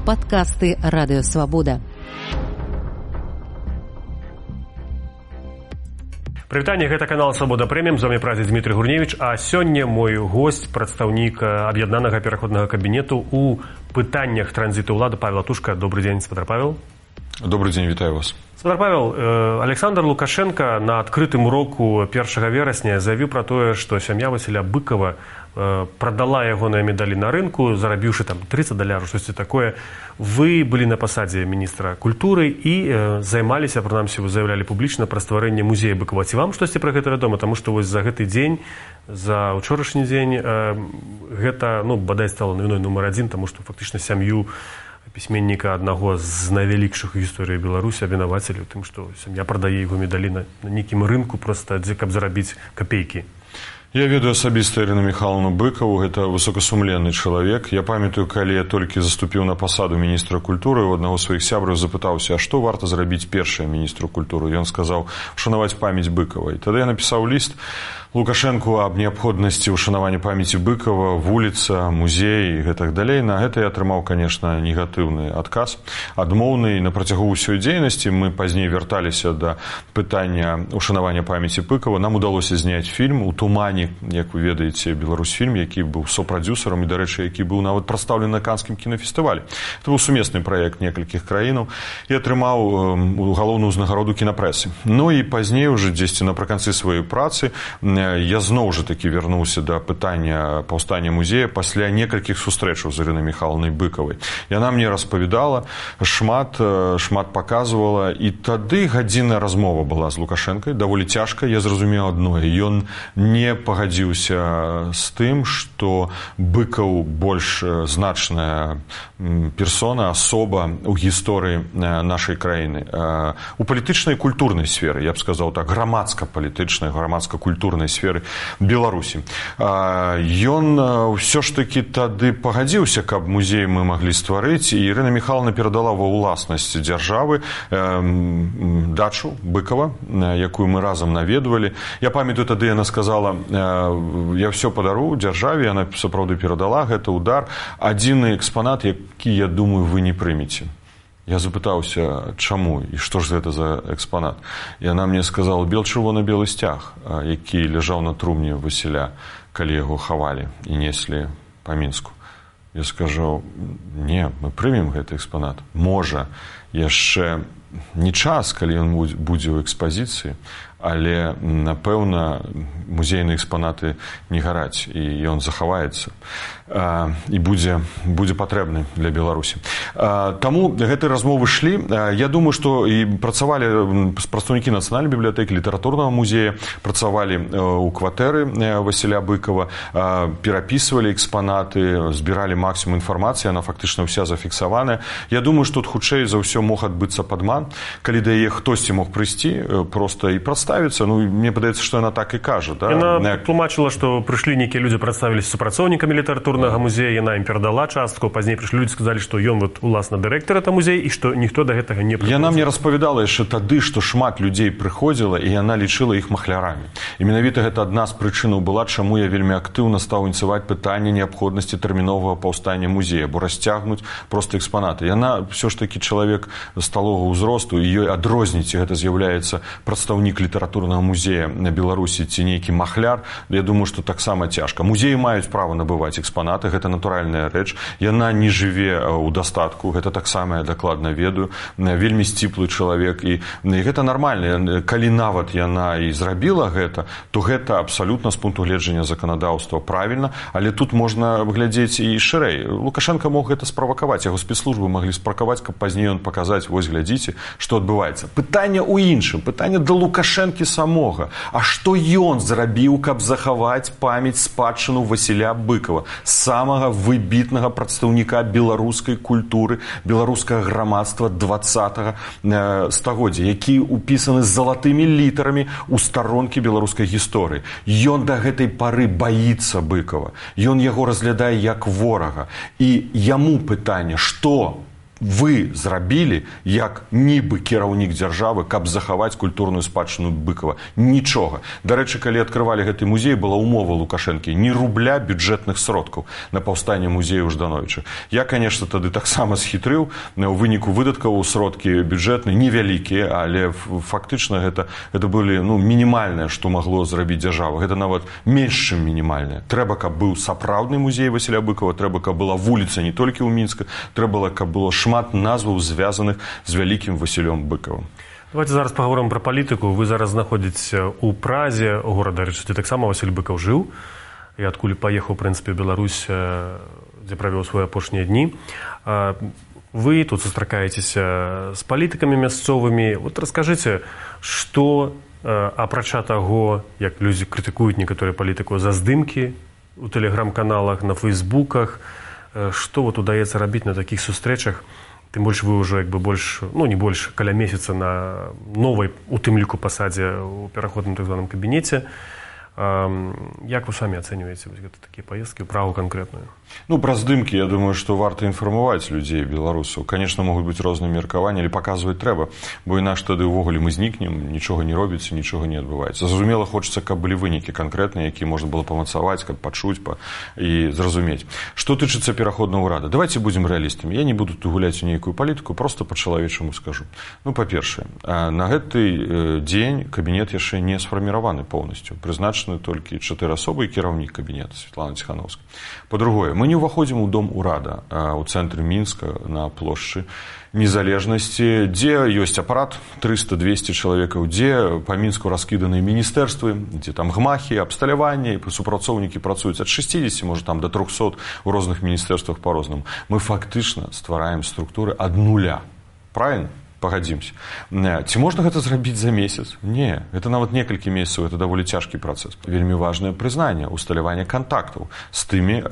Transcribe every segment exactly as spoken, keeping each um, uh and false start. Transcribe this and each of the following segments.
Падкасты Радыё Свабода. Прывітанне, гэта канал Свабода Прэміум, з вамі прадзе Дмітрый Гурневіч, а сёння мой госць, прадстаўнік аб'яднанага пераходнага кабінету ў пытаннях транзіту ўлады Павел Атушка. Добрый дзень, спадар Павел. Добрый день, вітаю вас. Спадар Павел, Александр Лукашенко на адкрытым уроку першага верасня заявіў пра тое, што сям'я Васіля Быкова продала ягоныя медалі на рынку, зарабіўшы там тридцать даляраў, штосьці такое. Вы былі на пасадзе міністра культуры і э, займаліся, прынамсі, вы заявлялі публічна пра стварэнне музея Быкова. Ці вам штосьці пра гэта вядома? Таму што вось за гэты дзень, за ўчорашні дзень э, гэта, ну, бадай стала навіной нумар адзін, таму што фактычна сям'ю пісьменніка аднаго з найвялікшых гісторыі Беларусі абвінавацілі ў тым, што сям'я прадае яго медалі на, на нейкім рынку проста, дзе каб зарабіць капейкі. Я ведаю асабіста Ірыну Міхайлаўну Быкаву, гэта высокасумленны чалавек. Я памятаю, калі я толькі заступіў на пасаду міністра культуры, у аднаго з сваіх сябраў запытаўся, а што варта зрабіць першае міністру культуры? Ён сказаў, ушанаваць памяць Быкава. І тады я напісаў ліст Лукашэнку аб неабходнасці ушанавання памяці Быкава, вуліца, музей і гэтак далей. На гэта я атрымаў, конечно, негатыўны адказ, адмоўны. На працягу ўсёй дзейнасці мы пазней вярталіся да пытання ушанавання памяці Быкава. Нам удалося зняць фільм у тумане, як вы ведаеце, Беларусьфільм, які быў сопрадзюсарам і, дарэчы, які быў нават прадстаўлены на Канскім кінафестывалі. Это быў сумесны праект некалькіх краінаў і атрымаў галоўную ўзнагароду кінапрэсы. Ну і пазней уже дзесьці напрыканцы сваёй працы я зноў жа такі вярнуўся да пытання паўстання музея пасля некалькіх сустрэчаў з Ірынай Міхайлаўнай Быкавай. Яна мне распавядала, шмат, шмат паказвала, і тады гадзінная размова была з Лукашэнкай, даволі цяжка. Я зразумеў адное, ён не пагадзіўся з тым, што Быкаў больш значная персона, асоба ў гісторыі нашай краіны. У палітычнай і культурнай сферы, я б сказаў так, грамадска-палітычнай, грамадска-культурнай сферы Беларусі. Ён ўсё ж такі тады пагадзіўся, каб музей мы маглі стварыць, і Ірына Міхайлаўна перадала ва ўласнасць дзяржавы дачу Быкава, якую мы разам наведвалі. Я памятаю, тады яна сказала, я ўсё падару дзяржаве, яна сапраўды перадала гэты удар. Адзіны экспанат, які, я думаю, вы не прымеце. Я запытаўся, чаму і што ж гэта за экспанат. І яна мне сказала, бел-чырвона-белы сцяг, які ляжаў на трумне Васіля, калі яго хавалі і неслі па Мінску. Я скажу, не, мы прымем гэты экспанат. Можа, яшчэ не час, калі ён будзе ў экспазіцыі, але, напэўна, музейныя экспанаты не гараць, і ён захаваецца і будзе, будзе патрэбны для Беларусі. Таму гэтыя размовы шлі. Я думаю, што і працавалі прадстаўнікі Нацыянальнай бібліятэкі, літаратурнага музея, працавалі ў кватэры Васіля Быкава, перапісвалі экспанаты, збіралі максімум інфармацыі, яна фактычна ўся зафіксаваная. Я думаю, што тут хутчэй за ўсё мог адбыцца падман, калі да яе хтосьці мог прыйсці проста і прадставіцца. Ну, мне падаецца, што яна так і кажа. Да? Яна тлумачыла, што прыйшлі нейкія людзі, прадставіліся супрацоўнікамі літаратурнага музея, яна ім перадала частку, пазней прыйшлі людзі, сказалі, што ён вот уласна дырэктар гэта музея і што ніхто да гэтага не прыходзіў. Яна мне распавядала яшчэ тады, што шмат людзей прыходзіла, і яна лічыла іх махлярамі. І менавіта гэта адна з прычынаў была, чаму я вельмі актыўна стаў ініцыяваць пытанне неабходнасці тэрміновага паўстання музея, бо расцягнуць проста экспанаты. Яна ўсё ж такі чалавек сталога ўзросту, і ёй адрозніць, гэта з'яўляецца прадстаўнік літаратурнага музея на Беларусі ці нейкі махляр. Я думаю, што таксама цяжка. Музеі маюць права набываць экспанаты, гэта натуральная рэч. Яна не жыве ў дастатку, гэта таксама я дакладна ведаю. Вельмі сціплы чалавек, і, і гэта нармальна. Калі нават яна і зрабіла гэта, то гэта абсалютна з пункту гледжання заканадаўства правільна, але тут можна глядзець і шырэй. Лукашенко мог гэта справакаваць, яго спецслужбы маглі спракаваць, каб пазней ён паказаць, вось глядзіце, што адбываецца. Пытанне ў іншым, пытанне да Лукашэнкі самога. А што ён зрабіў, каб захаваць памяць спадчыну Васіля Быкава, самага выбітнага прадстаўніка беларускай культуры, беларускага грамадства дваццатага стагоддзя, які ўпісаны з залатымі літарамі ў старонкі беларускай гісторыі. Ён да гэтай пары баіцца Быкава. Ён яго разглядае як ворага. І яму пытанне, што вы зрабілі як нібы кіраўнік дзяржавы, каб захаваць культурную спадчыну Быкова? Нічога. Дарэчы, калі адкрывалі гэты музей, была умова Лукашэнкі: ні рубля бюджэтных сродкаў на паўстанне музею Ждановіча. Я, конечно, тады таксама схітрыў. У выніку выдаткаў сродкі бюджэтныя невялікія, але фактычна гэта, гэта былі ну, мінімальнае, што магло зрабіць дзяржава. Гэта нават менш, чым мінімальнае. Трэба, каб быў сапраўдны музей Васіля Быкова, трэба, каб была вуліца не толькі ў Мінска, трэба, каб было шмат назваў, звязаных з вялікім Васілём Быкавым. Давайте зараз паговорым пра палітыку. Вы зараз знаходзіцеся ў Празе, горада, дзе таксама Васіль Быкаў жыў, і адкуль паехаў, у прынцыпе, ў Беларусь, дзе правёў свае апошнія дні. Вы тут сустракаецеся з палітыкамі мясцовымі. Вот раскажыце, што, апрача таго, як людзі крытыкуюць некаторыя палітыку за здымкі у тэлеграм-каналах, на фейсбуках, што вот удаецца рабіць на такіх сустрэчах? Тым больш вы ўжо як бы больш, ну не больш, каля месяца на новай, у тым ліку, пасадзе ў пераходным так званым кабінеце. Як вы самі ацэньваеце гэта такія паездкі ў Прагу канкрэтную? Ну, пра здымкі, я думаю, што варта інфармаваць людзей, беларусаў. Конечно, могуць быць розныя меркаванні, але паказваць трэба, бо інакш тады ўвогуле мы знікнем, нічога не робіцца, нічога не адбываецца. Зразумела, хочацца, каб былі вынікі канкрэтныя, якія можна было памацаваць, каб пачуць па... і зразумець. Што тычыцца пераходнага ўрада? Давайте будзем рэалістамі. Я не буду тут гуляць у нейкую палітыку, просто па-чалавечаму скажу. Ну, па-першае, на гэты дзень кабінет яшчэ не сфарміраваны поўнасцю. Прызначаны толькі чатыры асобы і кіраўнік кабінета Светлана Ціхановская. Па-другое, мы не ўваходзім у дом урада у цэнтры Мінска на плошчы Незалежнасці, дзе ёсць апарат трыста-двесце чалавекаў, дзе па Мінску раскіданыя міністэрствы, дзе там гмахі, абсталяванне, супрацоўнікі працуюць ад шэсцідзесяці, можа там да трохсот у розных міністэрствах па-рознаму. Мы фактычна ствараем структуры ад нуля. Правильно? Пагадзімся. Ці можна гэта зрабіць за месяц? Не. Гэта нават некалькі месяцаў, гэта даволі цяжкі працэс. Вельмі важнае прызнанне, усталяванне кантактаў з тымі,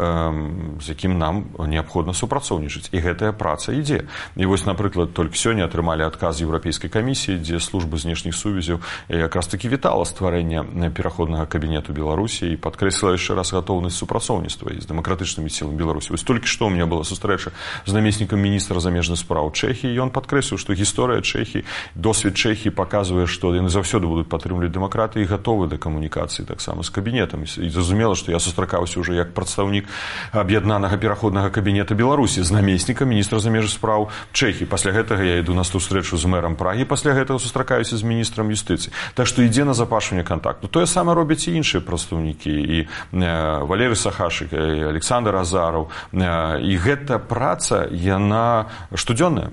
з якім нам неабходна супрацоўнічаць. І гэтая праца ідзе. І вось, напрыклад, толькі сёння атрымалі адказ Еўрапейскай камісіі, дзе служба знешніх сувязяў якраз такі вітала стварэнне пераходнага кабінету Беларусі і падкрэсліла яшчэ раз гатоўнасць супрацоўніцтва з дэмакратычнымі сіламі Беларусі. Вось толькі што ў мяне была сустрэча з намеснікам міністра замежных спраў Чэхіі, і ён падкрэсліў, што гісторыя Чэхіі, досвед Чэхіі паказвае, што яны заўсёды будуць падтрымліваць дэмакратыю і гатовы да камунікацыі таксама з кабінетам. І зразумела, што я сустракаўся ўжо як прадстаўнік аб'яднанага пераходнага кабінета Беларусі з намеснікам міністра замежных спраў Чэхіі. Пасля гэтага я іду на сустрэчу з мэрам Прагі, пасля гэтага сустракаюся з міністрам юстыцыі. Так што ідзе назапашванне кантакту. Тое самае робяць і іншыя прадстаўнікі, і Валерый Сахашык, і Александр Азараў. І гэта праца, яна штодзённая.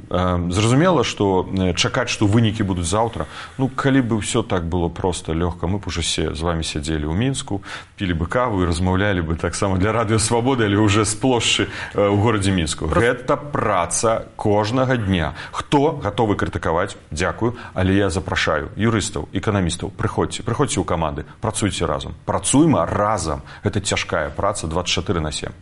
Зразумела, што чакаць, што вынікі будуць заўтра. Ну, калі бы ўсё так было проста, лёгка, мы б уже все з вами сядзелі ў Мінску, пілі бы каву і размаўлялі бы таксама для радыё Свабоды, але ўжо з плошчы ў горадзе Мінску. Гэта праца кожнага дня. Хто гатовы крытыкаваць? Дзякую, але я запрашаю юрыстаў, эканамістаў, прыходзьце, прыходзьце ў каманды, працуйце разам. Працуйма разам. Гэта цяжкая праца дваццаць чатыры на сем.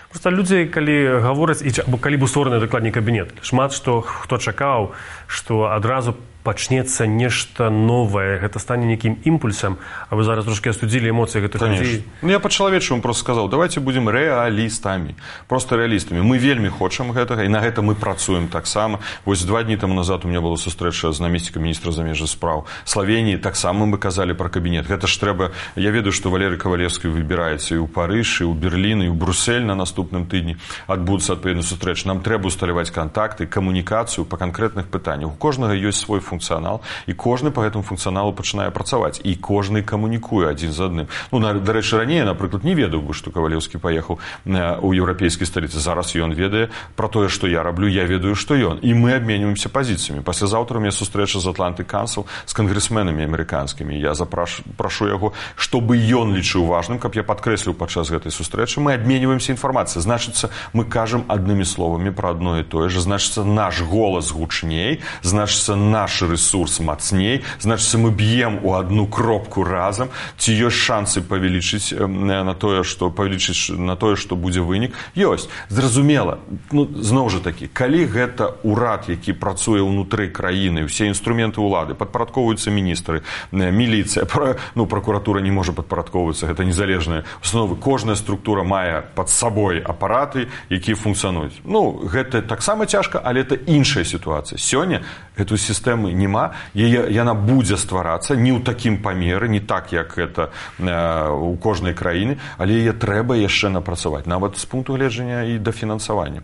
Просто людзі, калі гавораць, або калі быў створаны дакладней кабінет, шмат што хто чакаў, што адразу пачнецца нешта новае, гэта стане нейкім імпульсам, а вы зараз трошки астудзілі эмоцыі гэтых людзей. Ну, я па-чалавечаму просто сказаў, давайте будзем рэалістамі, просто рэалістамі. Мы вельмі хочам гэтага, і на гэта мы працуем таксама. Вось два дні таму назад у меня была сустрэча з намеснікам міністра замежных спраў Славеніі, таксама мы казалі пра кабінет. Гэта ж трэба, я ведаю, што Валерый Кавалевскі выбіраецца і ў Парыж, і ў Берлін, і ў Брюссель на наступным тыдні адбудуцца адпаведныя сустрэчы. Нам трэба усталяваць кантакты, камунікацыю па канкрэтных пытаннях. У кожнага ёсць свой функцыянал, і кожны па гэтаму функцыяналу пачынае працаваць, і кожны камунікуе адзін з адным. Ну, дарэчы, раней, напрыклад, не ведаў бы, што Кавалеўскі паехаў у еўрапейскай сталіцы. Зараз ён ведае пра тое, што я раблю, я ведаю, што ён. І мы абменьваемся пазіцыямі. Паслязаўтра у меня сустрэча з Атлантык Кансел з кангрэсменамі амерыканскімі. Я запрашу яго, чтобы ён лічыў важным, каб я падкрэсліў падчас гэтай сустрэчы. Мы абменьваемся інфармацыяй. Значыцца, мы кажам аднымі словамі пра адно і тое ж. Значыцца, наш голас гучней, значыцца, наш наш ресурс мацней, значыць мы б'ем у одну кропку разам, ці ёсць шансы павялічыць на тое, што павялічыць на тое, што будзе вынік. Ёсць. Зразумела, ну, зноў жа такі, калі гэта ўрад, які працуе ўнутры краіны, усе інструменты ўлады, падпарадкоўваюцца міністры, міліцыя, ну, пракуратура не можа падпарадкоўвацца, гэта незалежныя установы, кожная структура мае пад сабой апараты, якія функцыянуюць. Ну, гэта таксама цяжка, але это іншая сітуацыя. Сёння эту сістэмы няма, яе, яна будзе стварацца не ў такім памеры, не так, як гэта э, у кожнай краіны, але яе трэба яшчэ напрацаваць, нават з пункту гледжання і да фінансавання.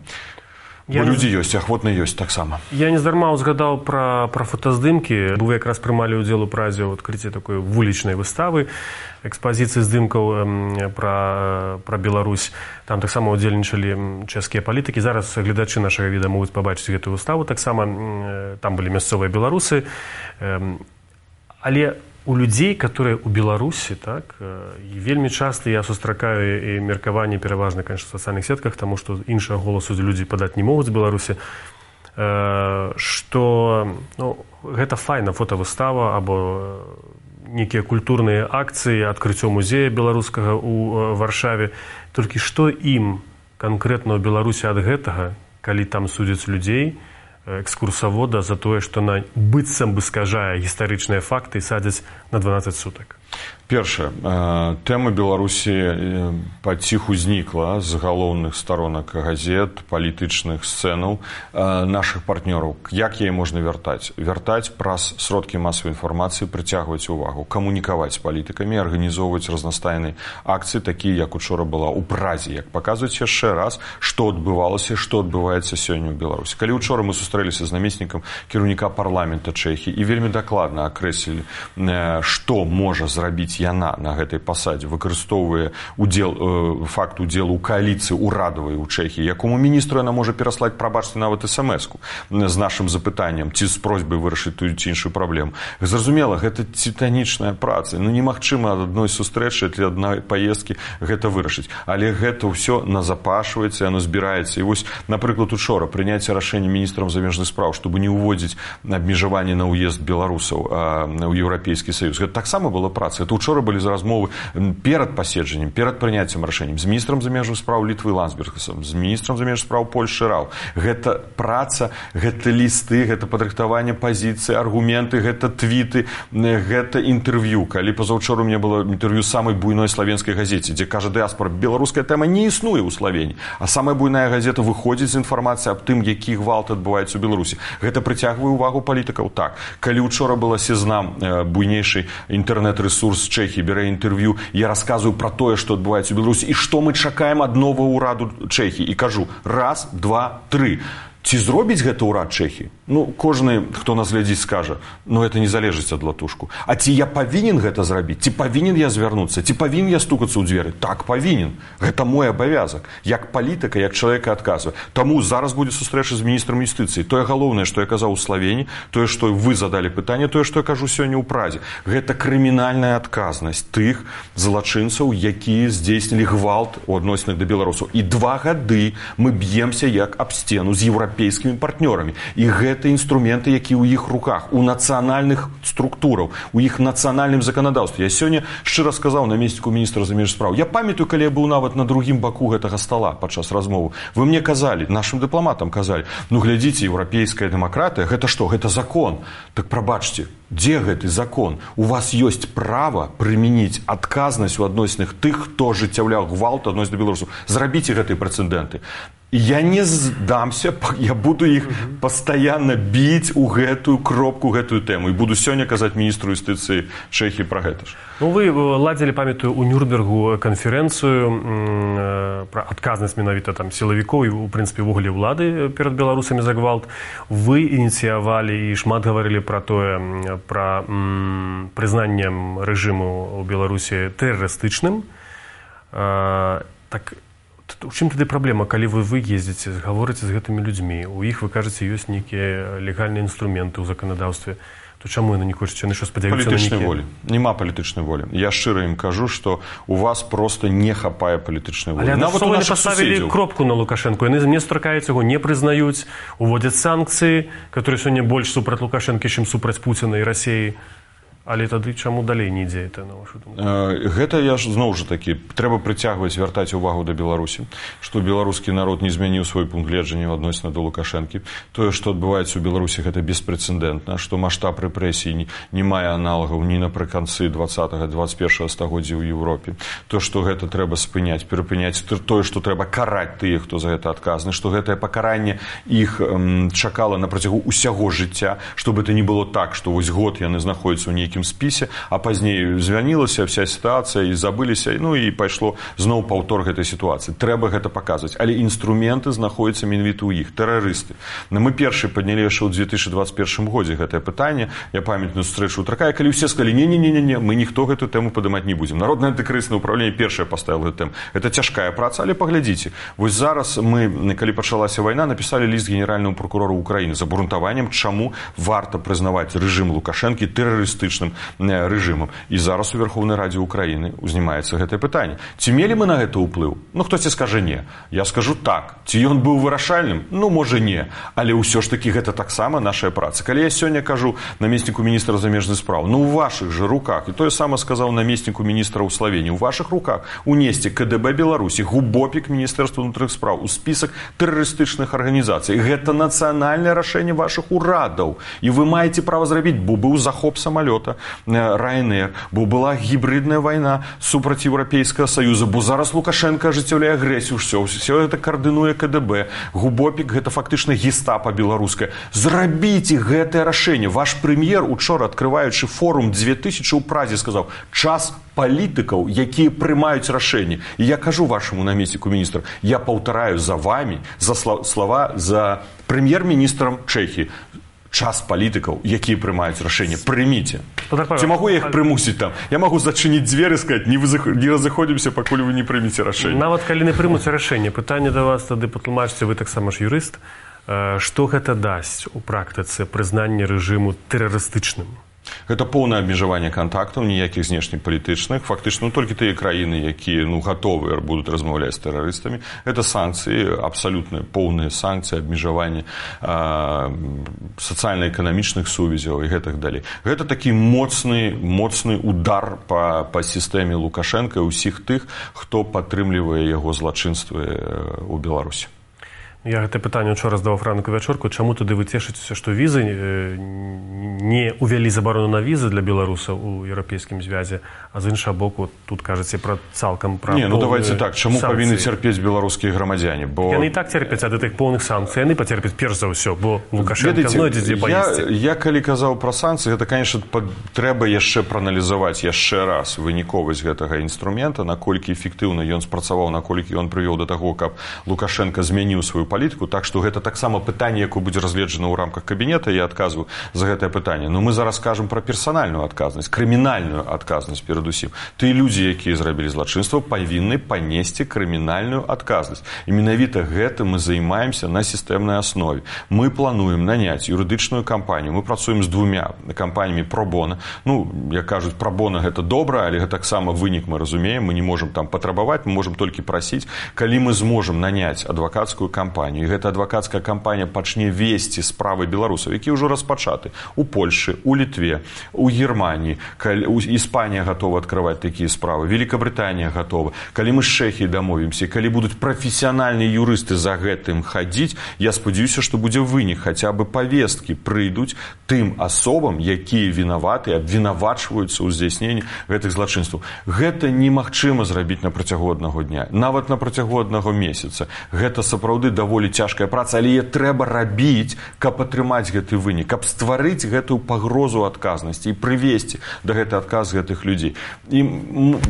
Бо людзі ёсць, ахвотна ёсць таксама. Я нездарма узгадаў пра, пра фотаздымкі. Вы якраз прымалі ўдзел у празе ў адкрыцці такой вулічнай выставы, экспазіцыі здымкаў пра, пра Беларусь. Там таксама ўдзельнічалі чэшскія палітыкі. Зараз гледачы нашага віда могуць пабачыць гэтую выставу. Таксама там былі мясцовыя беларусы. Але у людзей, которые у Беларусі, так, і вельмі часта я сустракаю і меркаванні пераважна, конечно, в сацыяльных сетках, таму што іншага голасу людзі падаць не могуць з Беларусі, што ну, гэта файна фотавыстава або нейкія культурныя акцыі, адкрыццё музея беларускага ў Варшаве. Толькі што ім канкрэтна ў Беларусі ад гэтага, калі там судзяць людзей, экскурсавода за тое, што на быццам бы скажае гістарычныя факты і садзяць на дванаццаць сутак. Першае, тэма Беларусі паціху знікла з галоўных старонак газет, палітычных сцэнаў нашых партнёраў. Як яе можна вяртаць? Вяртаць праз сродкі масавай інфармацыі, прыцягваць увагу, камунікаваць з палітыкамі, арганізоўваць разнастайныя акцыі, такія, як учора была ў Празе, як паказваць яшчэ раз, што адбывалася, што адбываецца сёння ў Беларусі. Калі учора мы сустрэліся з намеснікам кіраўніка парламента Чэхіі і вельмі дакладна акрэслілі, што можа зрабіць яна на гэтай пасадзе, выкарыстоўвае удзел, факт удзелу ў кааліцыі урадавай у Чэхіі, якому міністру яна можа пераслаць, прабачце, нават эс-эм-эску з нашым запытаннем, ці з просьбай вырашыць тую ці іншую праблему. Зразумела, гэта титанічная праца. Ну, немагчыма ад адной сустрэчы ці адной паездкі гэта вырашыць. Але гэта ўсё назапашваецца, яно збіраецца. І вось, напрыклад, учора прыняцце рашэння міністрам замежных спраў, чтобы не ўводзіць абмежаванне на ўезд беларусаў ў Еўрапейскі Саюз. Гэта таксама была праца. Это учора былі размовы перад паседжаннем, перад прыняццем рашэннем з міністрам замежных спраў Літвы Ландсбергасам, з міністрам замежных спраў Польшчы Рау. Гэта праца, гэта лісты, гэта падрыхтаванне пазіцыі, аргументы, гэта твіты, гэта інтэрв'ю. Калі пазаўчора у мяне было інтэрв'ю самай буйной славенскай газеце, дзе кажа дыаспора, беларуская тэма не існуе ў Славені, а самая буйная газета выходзіць з інфармацыяй аб тым, які гвалт адбываецца ў Беларусі. Гэта прыцягвае ўвагу палітыкаў. Так, калі учора была Сезнам, буйнейшы інтэрнэт-рэсурс Чэхіі, бярэ інтэрв'ю, я расказваю пра тое, што адбываецца ў Беларусі і што мы чакаем ад новага ўраду Чэхіі. І кажу, раз, два, тры. Ці зробіць гэта ўрад Чэхіі? Ну, кожны, хто нас глядзіць, скажа, ну, это не залежыць ад латушку. А ці я павінен гэта зрабіць? Ці павінен я звярнуцца? Ці павінен я стукацца ў дзверы? Так, павінен. Гэта мой абавязак. Як палітыка, як чалавека адказвае. Таму зараз будзе сустрэча з міністрам юстыцыі. Тое галоўнае, што я казаў у Славені, тое, што вы задалі пытанне, тое, што я кажу сёння ў Празе. Гэта крымінальная адказнасць тых злачынцаў, якія здзейснілі гвалт у адносінах да беларусаў. І два гады мы б'емся як аб сцену з еўрапейскімі партнёрамі. І гэта это инструменты, якія ў іх руках, у нацыянальных структураў, у іх нацыянальным заканадаўстве. Я сёння шчыра сказаў намесніку міністра замежных спраў. Я памятаю, калі я быў нават на другім баку гэтага стала падчас размовы. Вы мне казалі, нашым дыпламатам казалі, ну глядзіце, еўрапейская дэмакратыя, гэта што? Гэта закон. Так прабачце, дзе гэты закон? У вас ёсць права прымяніць адказнасць у адносінах тых, хто ажыццяўляў гвалт адносін да беларусаў. Зрабіце гэтыя прэцэдэнты. Я не здамся, я буду іх пастаянна біць у гэтую кропку, гэтую тэму. І буду сёння казаць міністру юстыцыі Чэхіі пра гэта ж. Ну, вы ладзілі, памятаю, у Нюрнбергу канферэнцыю пра адказнасць менавіта там сілавікоў і, у прынцыпе, ўвогуле ўлады перад беларусамі за гвалт. Вы ініцыявалі і шмат гаварылі пра тое, пра м, прызнаннем рэжыму ў Беларусі тэрарыстычным. А, так у чым тады праблема, калі вы вы ездзіце, гаворыце з гэтымі людзьмі, у іх, вы кажаце, ёсць нейкія легальныя інструменты ў заканадаўстве, то чаму яны не хочуць, яны што спадзяюцца на палітычнай нейкія... волі. Няма палітычнай волі. Я шчыра ім кажу, што у вас просто не хапае палітычнай волі. Але нават у нашых паставілі суседзяў. кропку на Лукашэнку, яны не сустракаюць яго, не прызнаюць, уводзяць санкцыі, которые сёння больш супраць Лукашэнкі, чым супраць Пуціна і Расіі. Але тады чаму далей не ідзе это, на вашу думку? Гэта я ж зноў жа такі, трэба прыцягваць, вяртаць увагу да Беларусі, што беларускі народ не змяніў свой пункт гледжання адносна да Лукашэнкі. Тое, што адбываецца ў Беларусі, гэта беспрэцэдэнтна, што маштаб рэпрэсій не мае аналагаў ні напрыканцы дваццатага дваццаць першага стагоддзя ў Еўропе. То, што гэта трэба спыняць, перапыняць, тое, што трэба караць тых, хто за гэта адказны, што гэтае пакаранне іх эм, чакала на працягу ўсяго жыцця, чтобы это не было так, што вось год яны знаходзяцца ў нейкім спісе, а пазней звянілася вся сітуацыя і забыліся, ну і пайшло зноў паўтор гэтай сітуацыі. Трэба гэта паказваць, але інструменты знаходзяцца менавіта ў іх, тэрарысты. Но мы першы паднялі яшчэ ў две тысячы дваццаць першым годзе гэтае пытанне. Я памятаю сустрэчу такая, калі ўсе сказалі: не-не-не-не, мы ніхто гэту тэму падымаць не будзем. Народнае антыкрызіснае ўпраўленне першае паставіла гэту тэму. Это цяжкая праца, але паглядзіце. Вось зараз мы, калі пачалася вайна, напісалі ліст генеральнаму прокурору Украіны з абгрунтаваннем, чаму варта прызнаваць рэжым Лукашэнкі тэрарыстычным рэжымам. І зараз у Верховнай Радзе Украіны узнімаецца гэтае пытанне. Ці мелі мы на гэта ўплыў? Ну, хтосьці скажа не. Я скажу так. Ці ён быў вырашальным? Ну, можа, не. Але ўсё ж такі гэта таксама нашая праца. Калі я сёння кажу намесніку міністра замежных спраў, ну, у вашых жа руках, і тое сама сказаў намесніку міністра ў Славеніі, у вашых руках унесці КДБ Беларусі, губопік Міністэрства ўнутраных спраў у спісак тэрарыстычных арганізацый. Гэта нацыянальнае рашэнне вашых урадаў. І вы маеце права зрабіць, бо быў захоп самалёта Ryanair, бо была гібридная вайна супраць Еўрапейскага Саюза, бо зараз Лукашенко ажыццяўляе агрэсію, ўсё, ўсё гэта каардынуе КДБ. Губопік гэта фактычна гестапа беларускае. Зрабіце гэтае рашэнне. Ваш прэм'ер учора, адкрываючы форум две тысячы ў Празе, сказаў: час палітыкаў, якія прымаюць рашэнне. І я кажу вашаму намесніку міністра, я паўтараю за вами, за слова за прэм'ер-міністрам Чэхіі. Час палітыкаў, якія прымаюць рашэнне, прыміце. Ці магу я іх прымусіць там? Я магу зачыніць дзверы, сказаць: не разыходзімся, пакуль вы не прымеце рашэнне. Нават калі не прымуць рашэнне, пытанне да вас тады патлумачце, вы таксама ж юрыст, што гэта дасць у практыцы прызнання рэжыму тэрарыстычным? Гэта поўнае абмежаванне кантактаў, ніякіх знешнепалітычных. Фактычна, ну, толькі тыя краіны, якія, ну, гатовыя будуць размаўляць з тэрарыстамі. Гэта санкцыі, абсалютна поўныя санкцыі, абмежаванне сацыяльна-эканамічных сувязяў і гэтак далей. Гэта такі моцны, моцны удар па, па сістэме Лукашэнка і ўсіх тых, хто падтрымлівае яго злачынствы ў Беларусі. Я гэта пытанне учора здаваў ранку вячорку. Чаму тады вы цешыцеся, што візы не увялі забарону на візы для беларусаў у еўрапейскім звязе, а з іншага боку тут кажаце пра цалкам пра Не, ну давайте так, чаму санкцыі? Павінны цярпець беларускія грамадзяне? Бо... Яны і так церпяць ад гэтых поўных санкцый, яны пацерпяць перш за ўсё, бо Лукашенко знойдзе дзе паесці. Я, я калі казаў пра санкцыі, гэта, конечно, пад... трэба яшчэ прааналізаваць яшчэ раз выніковасць гэтага інструмента, наколькі эфектыўна ён спрацаваў, наколькі ён прывёў да таго, каб Лукашенко змяніў сваю палітыку. Так што гэта таксама пытанне, якое будзе разгледжана ў рамках кабінета, я адказваю за гэтае пытанне. Но мы зараз кажам пра персанальную адказнасць, крымінальную адказнасць перадусім. Тыя людзі, якія зрабілі злачынства, павінны панесці крымінальную адказнасць. І менавіта гэтым мы займаемся на сістэмнай аснове. Мы плануем наняць юрыдычную кампанію. Мы працуем з двумя кампаніямі пробона. Ну, як кажуць, пробона гэта добра, але гэта таксама вынік мы разумеем. Мы не можам там патрабаваць, мы можам толькі прасіць. Калі мы зможам наняць адвакацкую кампанію, і гэта адвакацкая кампанія пачне весці справы беларусаў, якія ўжо распачаты у Польшы, у Літве, у Германіі, Іспанія гатова адкрываць такія справы, Великабрытанія гатова. Калі мы з Чэхіяй дамовімся, калі будуць прафесіянальныя юрысты за гэтым хадзіць, я спадзяюся, што будзе вынік, хаця бы павесткі прыйдуць тым асобам, якія вінаваты, абвінавачваюцца ў здзяйсненні гэтых злачынстваў. Гэта немагчыма зрабіць на працягу аднаго дня, нават на працягу аднаго месяца. Гэта сапраўды даволі цяжка праца, але трэба рабіць, каб атрымаць гэты вынік, каб стварыць гэты гэтую пагрозу адказнасці і прывесці да гэтай адказ гэтых людзей. І,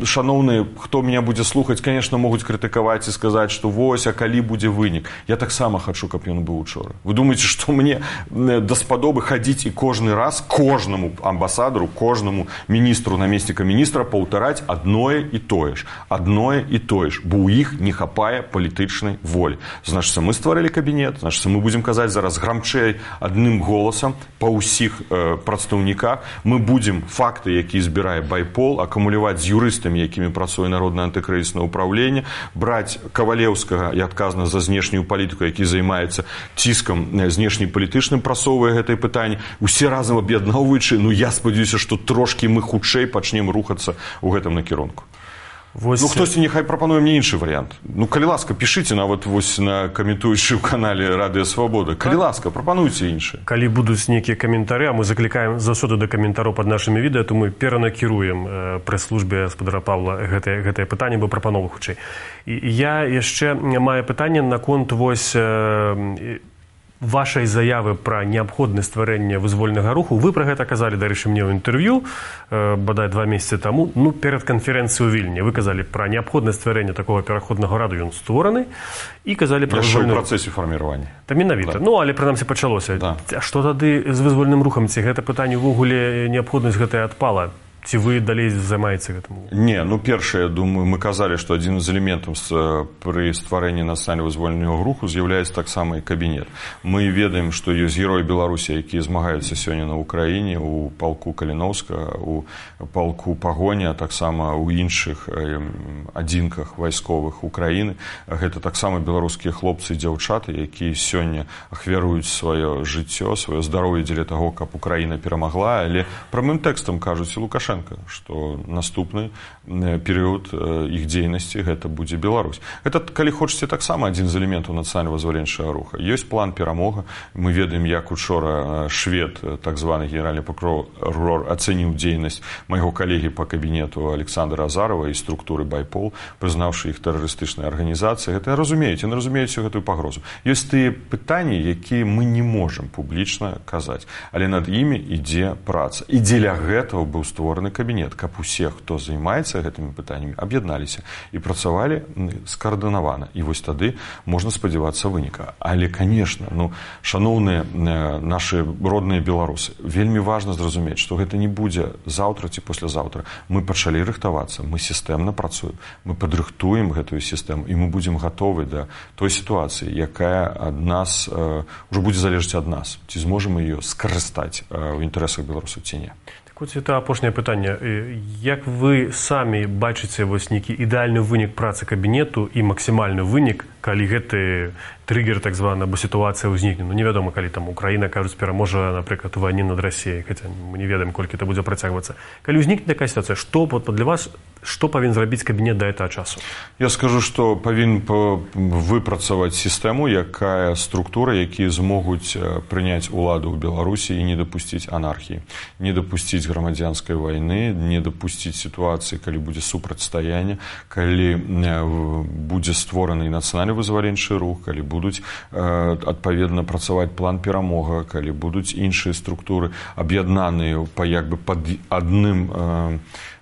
шаноўныя, хто меня будзе слухаць, конечно, могуць крытыкаваць і сказаць, што вось, а калі будзе вынік. Я таксама хачу, каб ён быў учора. Вы думаеце, што мне даспадобы хадзіць і кожны раз кожнаму амбасадару, кожнаму міністру, намесніка міністра паўтараць адное і тое ж. Адное і тое ж. Бо ў іх не хапае палітычнай волі. Значыцца, мы стварылі кабінет, значыцца, мы будзем казаць зараз грамчэй адным голасам па ўсіх э, прадстаўніках. Мы будзем факты, які збірае байпол, акумуляваць з юрыстамі, якімі працуе Народнае антыкрызіснае ўпраўленне, браць Кавалеўскага і адказна за знешнюю палітыку, які займаецца ціскам знешнепалітычным, прасоўвае гэтае пытанне, усе разам аб'ядноўваючы, ну я спадзяюся, што трошкі мы хутчэй пачнем рухацца ў гэтым накірунку. Вось... Ну, хтосьці няхай прапануе мне іншы варыянт. Ну, калі ласка, пішыце нават вось на каментуючы ў канале Радыё Свабода. Калі ласка, прапануйце іншыя. Калі будуць нейкія каментары, а мы заклікаем заўсёды да каментараў пад нашымі відэа, то мы перанакіруем прэс-службе гаспадара Павла гэтае, гэтае пытанне, бо прапановы хутчэй. І я яшчэ маю пытанне наконт вось вашай заявы пра неабходнасць стварэння вызвольнага руху. Вы пра гэта казалі, дарэчы, мне ў інтэрв'ю, э, бадай два месяцы таму, ну, перад канферэнцыяй у Вільні. Вы казалі пра неабходнасць стварэння такога пераходнага раду, ён створаны, і казалі пра вызвольны... ў працэсе фарміравання. Та менавіта. Да. Ну, але прынамсі пачалося. Да. А што тады з вызвольным рухам? Ці гэта пытанне ўвогуле неабходнасць гэтая адпала? Ці вы далей займаеце гэтым? Не, ну, першае, думаю, мы казалі, што адзін з элементаў пры стварэнні нацыянальна-вызвольнага руху з'яўляецца таксама і кабінет. Мы ведаем, што ёсць героі Беларусі, якія змагаюцца сёння на Ўкраіне, у палку Каліноўска, у палку Пагоня, а таксама ў іншых адзінках вайсковых Украіны. Гэта таксама беларускія хлопцы і дзяўчаты, якія сёння ахвяруюць сваё жыццё, сваё здароўе дзеля таго, каб Украіна перамагла, але прамым тэкстам кажуць і Лукашенко, што наступны перыяд іх дзейнасці гэта будзе Беларусь. Гэта, калі хочаце, таксама адзін з элементаў нацыянальна-вызваленчага руха. Ёсць план перамога. Мы ведаем, як учора швед, так званы генеральны прокурор, ацэніў дзейнасць майго калегі па кабінету Александра Азарова і структуры байпол, прызнаўшы іх тэрарыстычнай арганізацыяй. Гэта разумеюць, яны разумеюць всю гэтую пагрозу. Ёсць тыя пытанні, якія мы не можам публічна казаць, але над імі ідзе праца. І дзеля гэтага быў створаны кабінет, каб усе, хто займаецца гэтымі пытаннямі, аб'ядналіся і працавалі скаардынавана. І вось тады можна спадзявацца выніка. Але, конечно, ну, шаноўныя нашы родныя беларусы, вельмі важна зразумець, што гэта не будзе заўтра ці паслязаўтра. Мы пачалі рыхтавацца, мы сістэмна працуем, мы падрыхтуем гэтую сістэму, і мы будзем гатовы да той сітуацыі, якая ад нас э, ўжо будзе залежаць ад нас. Ці зможам мы ее скарыстаць э, ў інтарэсах беларусаў ці не. Хоць это апошняе пытанне. Як вы самі бачыце вось нейкі ідэальны вынік працы кабінету і максімальны вынік, калі гэты триггер, так званы, або сітуацыя ўзнікне? Ну, невядома, калі там Украіна, кажуць, пераможа, напрыклад, у вайне над Расіяй, хаця мы не ведаем, колькі это будзе працягвацца. Калі ўзнікне такая сітуацыя, што для вас, што павінен зрабіць кабінет да гэтага часу? Я скажу, што павінен выпрацаваць сістэму, якая структура, якія змогуць прыняць уладу ў Беларусі і не дапусціць анархіі, не дапусціць грамадзянскай вайны, не дапусціць сітуацыі, калі будзе супрацьстаянне, калі будзе створаны нацыянальна-вызваленчы рух, калі будуць адпаведна працаваць план перамога, калі будуць іншыя структуры аб'яднаныя па як бы пад адным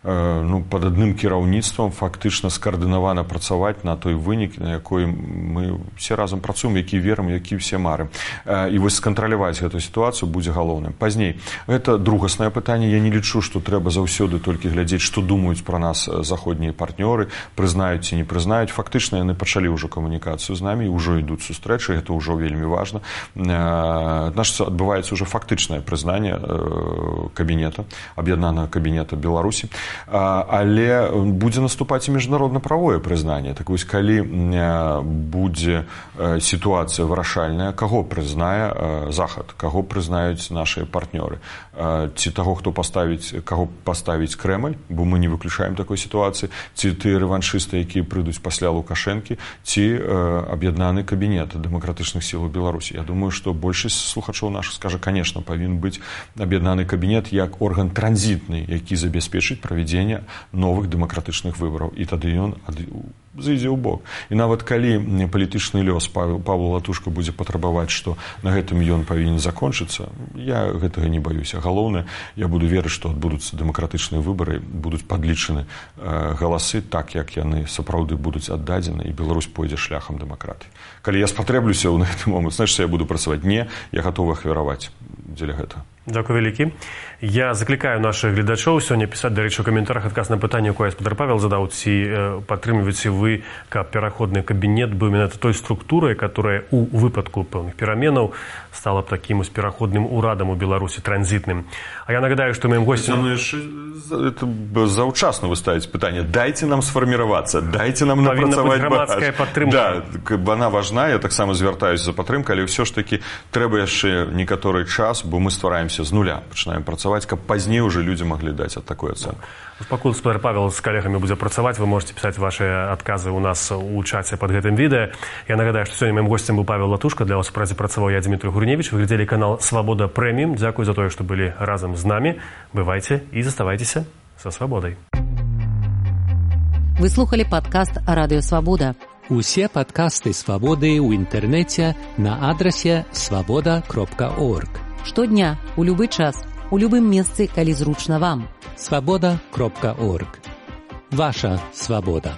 ну, пад адным кіраўніцтвам фактычна скаардынавана працаваць на той вынік, на якой мы все разам працуем, які верым, які все марым. І вось скантраляваць гэтую сітуацыю будзе галоўным. Пазней, гэта другаснае пытанне. Я не лічу, што трэба заўсёды толькі глядзець, што думаюць пра нас заходнія партнёры, прызнаюць ці не прызнаюць. Фактычна яны пачалі ўжо камунікацыю з намі, ўжо ідуць сустрэчы, гэта ўжо вельмі важна. Значыць, адбываецца ўжо фактычнае прызнанне кабінета, аб'яднанага кабінета Беларусі. Але будзе наступаць і міжнародна-правое прызнанне. Так вось, калі будзе сітуацыя вырашальная, каго прызнае Захад, каго прызнаюць нашыя партнёры, ці таго, хто паставіць, каго паставіць Крэмль, бо мы не выключаем такой сітуацыі, ці тыя рэваншысты, якія прыйдуць пасля Лукашэнкі, ці аб'яднаны кабінет дэмакратычных сіл у Беларусі. Я думаю, што большасць слухачоў нашых скажа, конечно, павінен быць аб'яднаны кабінет як орган транзітны, які забяспечыць правядзенне новых дэмакратычных выбараў. І тады ён зайдзе ў бок. І нават калі палітычны лёс Павла Латушка будзе патрабаваць, што на гэтым ён павінен закончыцца, я гэтага не баюся. Галоўнае, я буду верыць, што адбудуцца дэмакратычныя выбары, будуць падлічаны галасы так, як яны сапраўды будуць аддадзены, і Беларусь пойдзе шляхам дэмакратыі. Калі я спатрэблюся ў гэты момант, значыць, я буду працаваць. Не, я гатовы ахвяраваць дзеля гэтага. Дзякуй вялікі. Я заклікаю нашых гледачоў сёння пісаць, дарэчы, у каментарах адказ на пытанне, якое спадар Павел задаў, ці падтрымліваеце вы, каб пераходны кабінет быў менавіта той структурай, которая у выпадку пэўных пераменаў стала б такім пераходным урадам у Беларусі, транзітным. А я нагадаю, што моим гостем... Это заўчасна вы ставіце пытанне. Дайце нам сфарміравацца, дайце нам напрацаваць грамадская падтрымка. Да, яна важна, я таксама звяртаюся за падтрымкай, але ўсё ж такі трэба яшчэ некаторы час, бо мы ствараемся з нуля, пачынаем працаваць, каб пазней уже людзі маглі даць ад такой ацэнкі. Пакуль спадар Павел з калегамі будзе працаваць, вы можете пісаць ваши адказы ў нас у чаце под гэтым відэа. Я нагадаю, што сёння маім госцем быў Павел Латушка, для вас у працы працаваў я, Дмітрий Гурневич. Вы глядзелі канал Свабода Прэміум. Дзякуй за тое, што былі разам з намі. Бывайце і заставайцеся са свабодай. Вы слухали падкаст Радыё Свабода. Усе падкасты Свабоды ў інтэрнэце на адрасе свабода кропка орг. Штодня, у любы час, у любым месцы, калі зручна вам. свабода кропка орг. Ваша свабода.